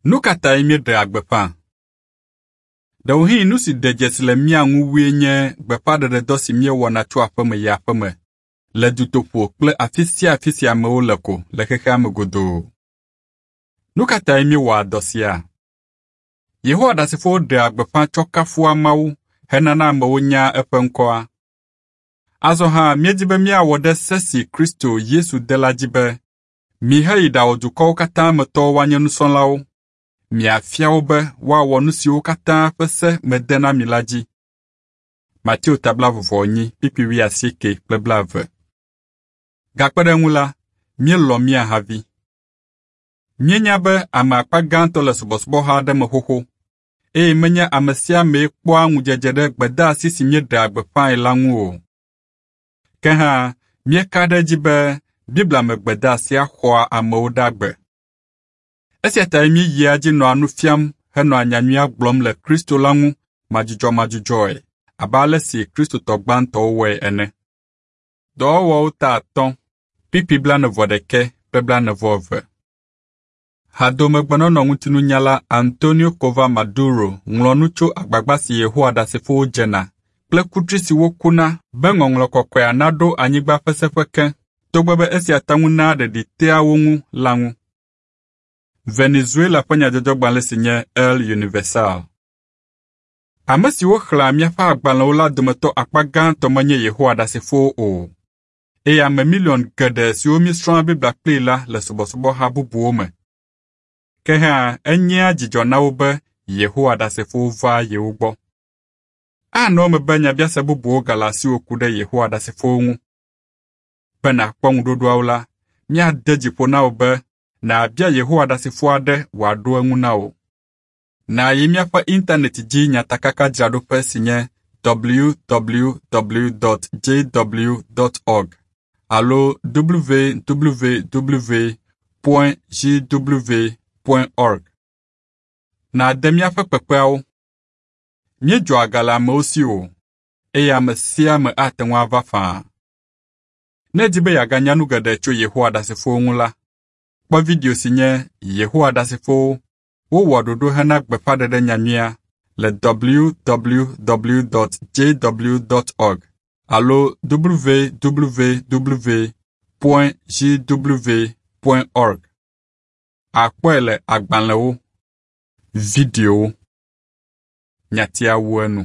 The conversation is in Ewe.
Nu ka tae míeɖea gbeƒã? Ɖewohĩ nu si ɖe dzesi le mía ŋu wue nye gbeƒãɖeɖedɔ si míewɔna tso aƒeme yi aƒeme, le dutoƒo kple afi sia afi si amewo le ko le xexea me godoo. Nu ka tae míewɔa dɔ sia? Yehowa Ɖasefowo ɖea gbeƒã tsɔ kafua Mawu henana amewo nyaa eƒe ŋkɔa. Azɔ hã míedi be míawɔ ɖe se si Kristo Yesu de la dzi be, “Miheyi ɖawɔ dukɔwo katã me tɔwo woanye nusrɔ̃lawo, miafia wo be woawɔ nu siwo katã ƒe se mede na mi la dzi.” Mateo ta 24 kpukpui 80 kple 20. Gakpe ɖe eŋu la, míelɔ̃ mía havi. Míenya be ame akpa gãtɔ le subɔsubɔha aɖe me xoxo, eye menye ame sia amee kpɔa ŋudzedze ɖe gbedeasi si míeɖea gbeƒãe la ŋu o. Ke hã, míeka ɖe edzi be Biblia me gbedeasia xɔa amewo ɖe agbe. Esia tae míeyia edzi nɔa nu fiam henɔa nyanyuia gblɔm le Kristo la ŋu madzudzɔmadzudzɔe abe ale si Kristotɔ gbãtɔwo wɔe ene. Dɔwɔwɔwo ta 5, kpukpui 41 kple 42. Hadomegbenɔnɔ ŋutinunyala Antonio Cova Maduro ŋlɔ nu tso agbagba si Yehowa Ɖasefowo dzena kple kutri si wokuna be Ŋɔŋlɔ Kɔkɔea naɖo anyigba ƒe seƒe ke, togbɔ be esia te ŋu naa ɖeɖi tea wo ŋu la ŋu. Venezuela ƒe nyadzɔdzɔgbalẽ si nye El Universal. Ame siwo xlẽa míaƒe agbalẽwo la dometɔ akpa gãtɔ menye Yehowa Ɖasefowo o, eye ame miliɔn geɖe siwo míesrɔ̃a Biblia kplii la le subɔsubɔha bubuwo me. Ke hã enyea dzidzɔ na wo be Yehowa Ɖasefowo vaa yewo gbɔ. Anɔ eme be nyabiase bubuwo gale asiwò ku ɖe Yehowa Ɖasefowo ŋu. Be nàkpɔ ŋuɖoɖoawo la, míade dzi ƒo na wò be nàbia Yehowa Ɖasefo aɖe wòaɖo eŋu na wò. Nàyi míaƒe intanɛti dzi nyatakakadzraɖoƒe si nye www.jw.org alo www.jw.org. Nàde míaƒe kpekpeawo. Míedzɔa ga le amewo si o, eye ame sia ame ate ŋu ava faa. Ne èdi be yeaganya nu geɖe tso Yehowa Ɖasefowo ŋu la, kpɔ video si nye Yehowa Ɖasefowo wowɔ ɖoɖo hena gbeƒãɖeɖe nyanyuia le www.jw.org alo www.jw.org. Àkpɔe le agbalẽwo, videowo. Nyatia wu enu.